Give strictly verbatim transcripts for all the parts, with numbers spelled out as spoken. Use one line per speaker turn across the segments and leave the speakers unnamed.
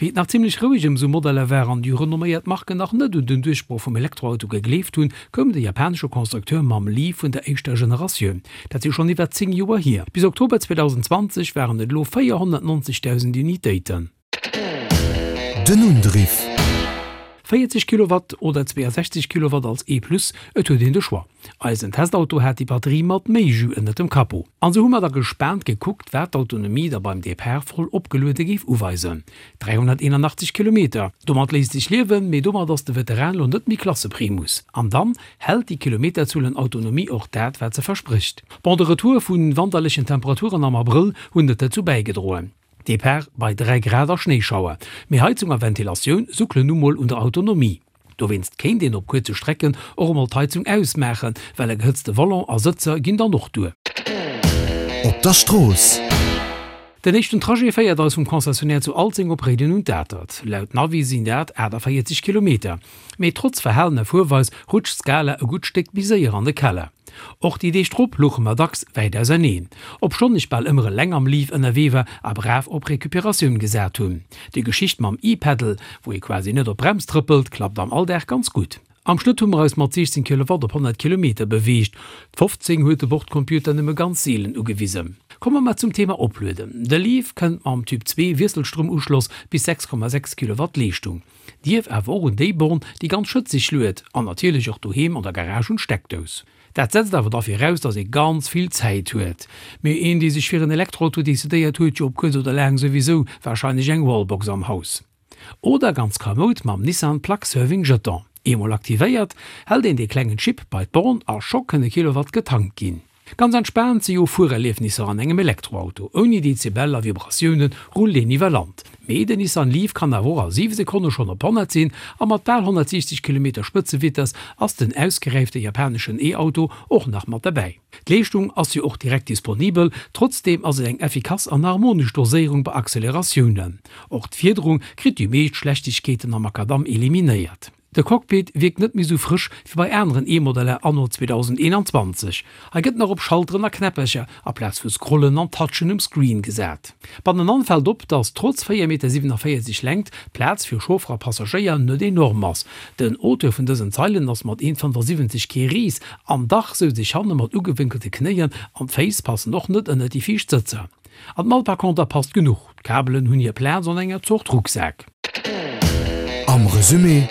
Wéi et nach zimmlech roueg ëm sou Modeller war an déi renomméiert Marken nach net un den Duerchbroch vum Elektroauto gegleeft hunn, koum de japanesche Constructeur mam Leaf vun der éischter Generatioun. Dat si schonn iwwer zéng Joer hier. Bis Oktober zweedausendzwanzeg waren et elo véierhonnertneunzegdausend Unitéiten.
Den Undriff.
véierzeg Kilowatt oder zweeësechzeg Kilowatt als E-Plus, et huet een de Choix. Eisen Testauto hat déi Batterie mat méi Jus ënnert dem Capot. An sou hu mer da gespaant gekuckt, wat d'Autonomie da beim Depart voll opgeluede géif uweisen. dräihonnerteenunachtzeg Kilometer, domat léisst sech liewen, mee domat ass de Veteran lo net méi Klasseprimus. An dann, hält déi Kilometerzuel un Autonomie och dat, wat se versprécht? Bon, de Retour vu wanterlechen Temperaturen am Abrëll hunn net dozou bäigedroen. Depart bei dräi Grad a Schnéischauer. Mee Heizung a Ventilatioun suckelen nu mol un der Autonomie. Dowéinst kéint een op kuerze Strecken och emol d'Heizung ausmaachen, well e gehëtzte Volant a Sëtzer ginn dann och duer.
Op der Strooss.
Den éischten Trajet féiert eis vum Concessionnaire zu Alzeng op Réiden un d'Atert. Laut Navi sinn dat aachtavéierzeg Kilometer. Mee trotz verhalener Fuerweis rutscht d'Skala e gutt Stéck méi séier an de Keller. Och déi Deeg drop louche mer dacks wäit auserneen, obschonn ech bal ëmmer eleng am Leaf ënnerwee war a brav op Recuperatioun gesat hunn. Déi Geschicht mam E-Pedal, wou ee quasi net op d'Brems trëppelt, klappt am Alldag ganz gutt. Am Schnëtt hu mer eis mat siechzéng Kilowatt op honnert Kilometer beweegt, d'fofzéng huet de Bordcomputer nëmme ganz seelen ugewisen. Komme mer zum Thema Oplueden. De Leaf kënnt mam Typ zwee Wiesselstroumuschloss bis sechs Komma sechs Kilowatt Leeschtung. Dierf awer och un déi Born, déi ganz schëtzeg luet, an natierlech och doheem an der Garage un d'Steckdous. Dat setzt awer da viraus, dass ee ganz vill Zäit huet. Mee een, dee sech fir en Elektroauto decidéiert, huet jo op kuerz oder laang souwisou warscheinlech eng Wallbox am Haus. Oder ganz kamoud mam Nissan Plug Serving Jeton. Eemol aktivéiert, hält een dee klengen Chip bei d'Born a scho kënne Kilowatt getankt ginn. Ganz entspaant si jo Fuererliefnisser an engem Elektroauto. Ouni Dezibel a Vibratioune rullt een iwwer Land. Mee den Nissan Leaf kann awer och a siwe Sekonne schonn op honnert sinn a mat bal honnertsiechzeg Kilometer Spëtzevitess ass den ausgeräifte japaneschen E-Auto och nach mat derbäi. D'Leeschtung ass jo och direkt disponibel, trotzdeem ass et eng effikass an harmonesch Doséierung bei Acceleratiounen. Och d'Fiederung kritt déi meescht Schlechtegkeeten am Makadamm eliminéiert. De Cockpit wierkt net méi sou frësch wéi bei aneren E-Modeller anno zweedausendeenanzwanzeg. Hei gëtt nach op Schalteren a Knäppercher aplaz vu Scrollen an Touchen um Screen gesat. Bannenan fält op, dass trotz véier Meter siwenavéierzeg Längt d'Plaz fir Chauffer a Passagéier net enorm ass. Den Auteur vun dësen Zeilen ass mat een fënnefasiwwenzeg kee Ris, an dach souz ech hanne mat ugewénkelte Knéien an d'Féiss passen och net ënnert déi viischt Sëtzer. An d'Mall par conter passt genuch, d'Kabelen hunn hir Plaz an enger Zort Rucksak.
Am Resumé.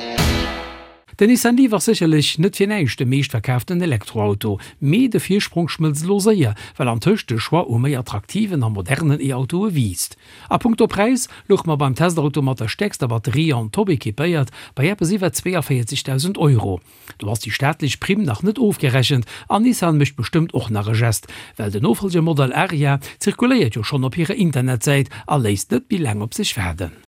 Den Nissan Leaf ass sécherlech net fir näischt de meeschtverkaaften Elektroauto, mee de Virsprong schmëlzt elo séier, well antëscht de Choix u méi attraktiven a modernen E-Autoe wiisst. A punkto Präis louche mer beim Testauto mat der stäerkster Batterie an top equipéiert bei eppes iwwer zweeënvéierzegdausend Euro. Do ass déi staatlech Primm nach net ofgerechent an Nissan mécht bestëmmt och nach e Gest, well den Nofollgermodell Ariya zirkuléiert jo schonn op hirer Internetsäit a léisst net méi laang op sech waarden.